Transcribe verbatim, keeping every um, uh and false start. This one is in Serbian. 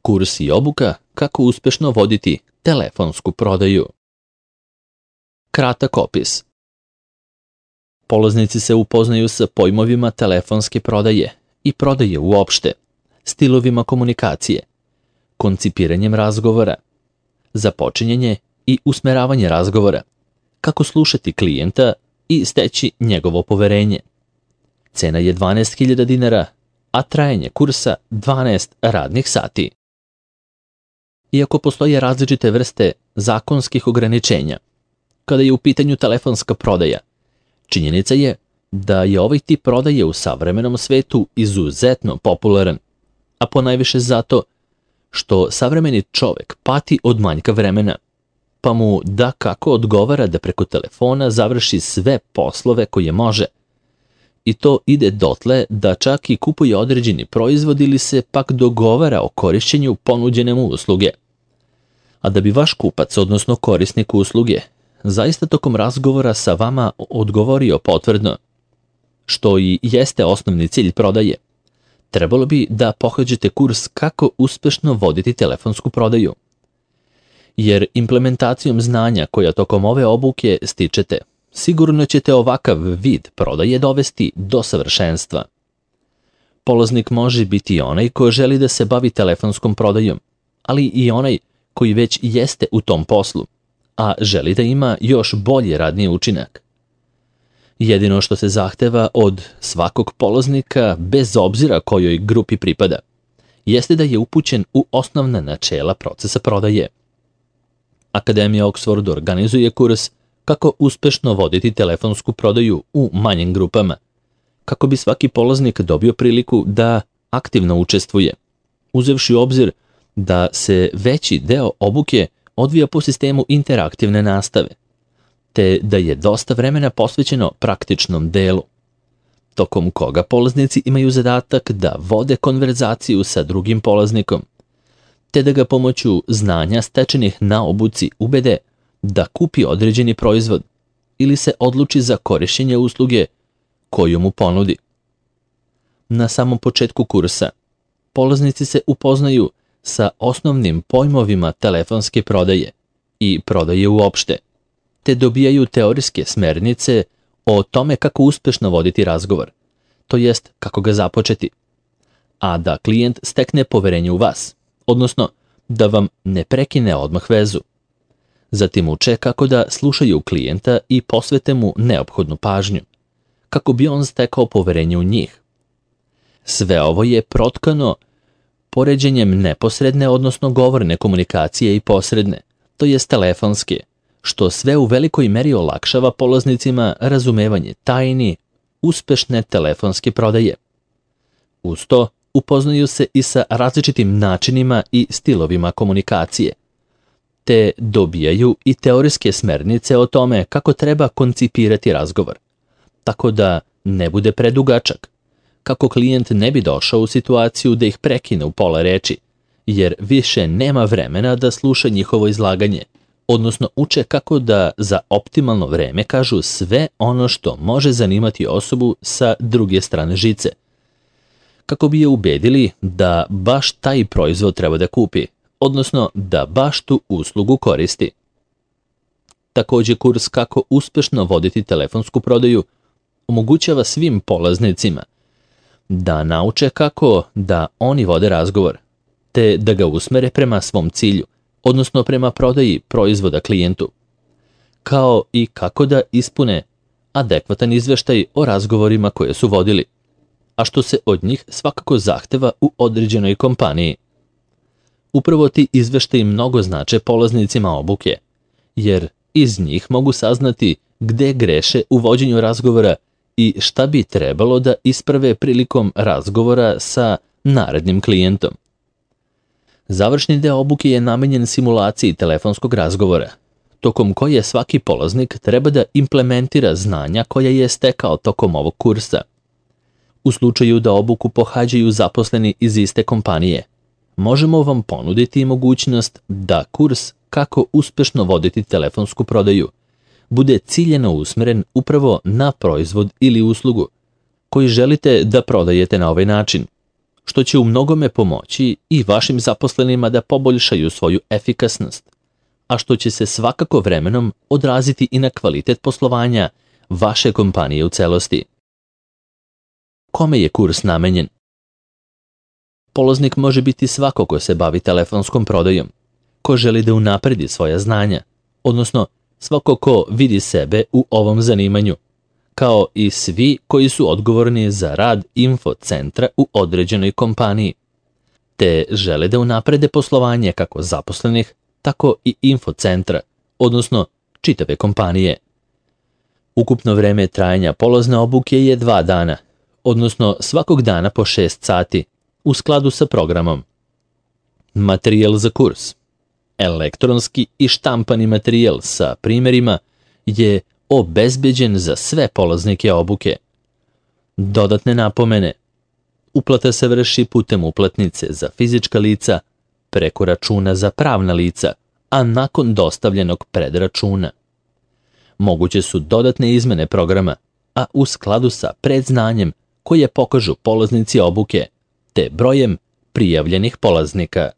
Kurs i obuka kako uspješno voditi telefonsku prodaju. Kratak opis. Polaznici se upoznaju sa pojmovima telefonske prodaje i prodaje uopšte, stilovima komunikacije, koncipiranjem razgovora, započinjanje i usmeravanje razgovora, kako slušati klijenta i steći njegovo poverenje. Cena je dvanaest hiljada dinara, a trajanje kursa dvanaest radnih sati. Iako postoje različite vrste zakonskih ograničenja, kada je u pitanju telefonska prodaja, činjenica je da je ovaj tip prodaje u savremenom svetu izuzetno popularan, a ponajviše zato što savremeni čovek pati od manjka vremena, pa mu da kako odgovara da preko telefona završi sve poslove koje može. I to ide dotle da čak i kupuje određeni proizvod ili se pak dogovara o korišćenju ponuđene mu usluge. A da bi vaš kupac, odnosno korisnik usluge, zaista tokom razgovora sa vama odgovorio potvrdno, što i jeste osnovni cilj prodaje, trebalo bi da pohađate kurs kako uspešno voditi telefonsku prodaju. Jer implementacijom znanja koja tokom ove obuke stičete, sigurno ćete ovakav vid prodaje dovesti do savršenstva. Polaznik može biti onaj ko želi da se bavi telefonskom prodajom, ali i onaj koji već jeste u tom poslu, a želi da ima još bolji radni učinak. Jedino što se zahteva od svakog polaznika, bez obzira kojoj grupi pripada, jeste da je upućen u osnovna načela procesa prodaje. Akademija Oxford organizuje kurs kako uspešno voditi telefonsku prodaju u manjim grupama, kako bi svaki polaznik dobio priliku da aktivno učestvuje, uzevši u obzir da se veći deo obuke odvija po sistemu interaktivne nastave, te da je dosta vremena posvećeno praktičnom delu, tokom koga polaznici imaju zadatak da vode konverzaciju sa drugim polaznikom, te da ga pomoću znanja stečenih na obuci ubede da kupi određeni proizvod ili se odluči za korišćenje usluge koju mu ponudi. Na samom početku kursa polaznici se upoznaju sa osnovnim pojmovima telefonske prodaje i prodaje uopšte, te dobijaju teorijske smernice o tome kako uspešno voditi razgovor, to jest kako ga započeti, a da klijent stekne poverenje u vas, odnosno da vam ne prekine odmah vezu. Zatim uče kako da slušaju klijenta i posvete mu neophodnu pažnju, kako bi on stekao poverenje u njih. Sve ovo je protkano poređenjem neposredne, odnosno govorne komunikacije i posredne, to jest telefonske, što sve u velikoj meri olakšava polaznicima razumevanje tajni uspešne telefonske prodaje. Uz to upoznaju se i sa različitim načinima i stilovima komunikacije, te dobijaju i teorijske smernice o tome kako treba koncipirati razgovor, tako da ne bude predugačak, kako klijent ne bi došao u situaciju da ih prekine u pola reči, jer više nema vremena da sluša njihovo izlaganje, odnosno uče kako da za optimalno vreme kažu sve ono što može zanimati osobu sa druge strane žice, kako bi je ubedili da baš taj proizvod treba da kupi, odnosno da baš tu uslugu koristi. Također kurs kako uspešno voditi telefonsku prodaju omogućava svim polaznicima da nauče kako da oni vode razgovor, te da ga usmere prema svom cilju, odnosno prema prodaji proizvoda klijentu, kao i kako da ispune adekvatan izveštaj o razgovorima koje su vodili, a što se od njih svakako zahteva u određenoj kompaniji. Upravo ti izveštaji mnogo znače polaznicima obuke, jer iz njih mogu saznati gde greše u vođenju razgovora i šta bi trebalo da isprave prilikom razgovora sa narednim klijentom. Završni deo obuke je namenjen simulaciji telefonskog razgovora, tokom koje svaki polaznik treba da implementira znanja koja je stekao tokom ovog kursa. U slučaju da obuku pohađaju zaposleni iz iste kompanije, možemo vam ponuditi mogućnost da kurs kako uspešno voditi telefonsku prodaju bude ciljeno usmeren upravo na proizvod ili uslugu koji želite da prodajete na ovaj način, što će u mnogome pomoći i vašim zaposlenima da poboljšaju svoju efikasnost, a što će se svakako vremenom odraziti i na kvalitet poslovanja vaše kompanije u celosti. Kome je kurs namenjen? Polaznik može biti svako ko se bavi telefonskom prodajom, ko želi da unapredi svoja znanja, odnosno svako ko vidi sebe u ovom zanimanju, kao i svi koji su odgovorni za rad infocentra u određenoj kompaniji, te žele da unaprede poslovanje kako zaposlenih, tako i infocentra, odnosno čitave kompanije. Ukupno vreme trajanja polazne obuke je dva dana, odnosno svakog dana po šest sati, u skladu sa programom. Materijal za kurs. Elektronski i štampani materijal sa primjerima je obezbeđen za sve polaznike obuke. Dodatne napomene. Uplata se vrši putem uplatnice za fizička lica, preko računa za pravna lica, a nakon dostavljenog predračuna. Moguće su dodatne izmene programa, a u skladu sa predznanjem koje pokažu polaznici obuke, te brojem prijavljenih polaznika.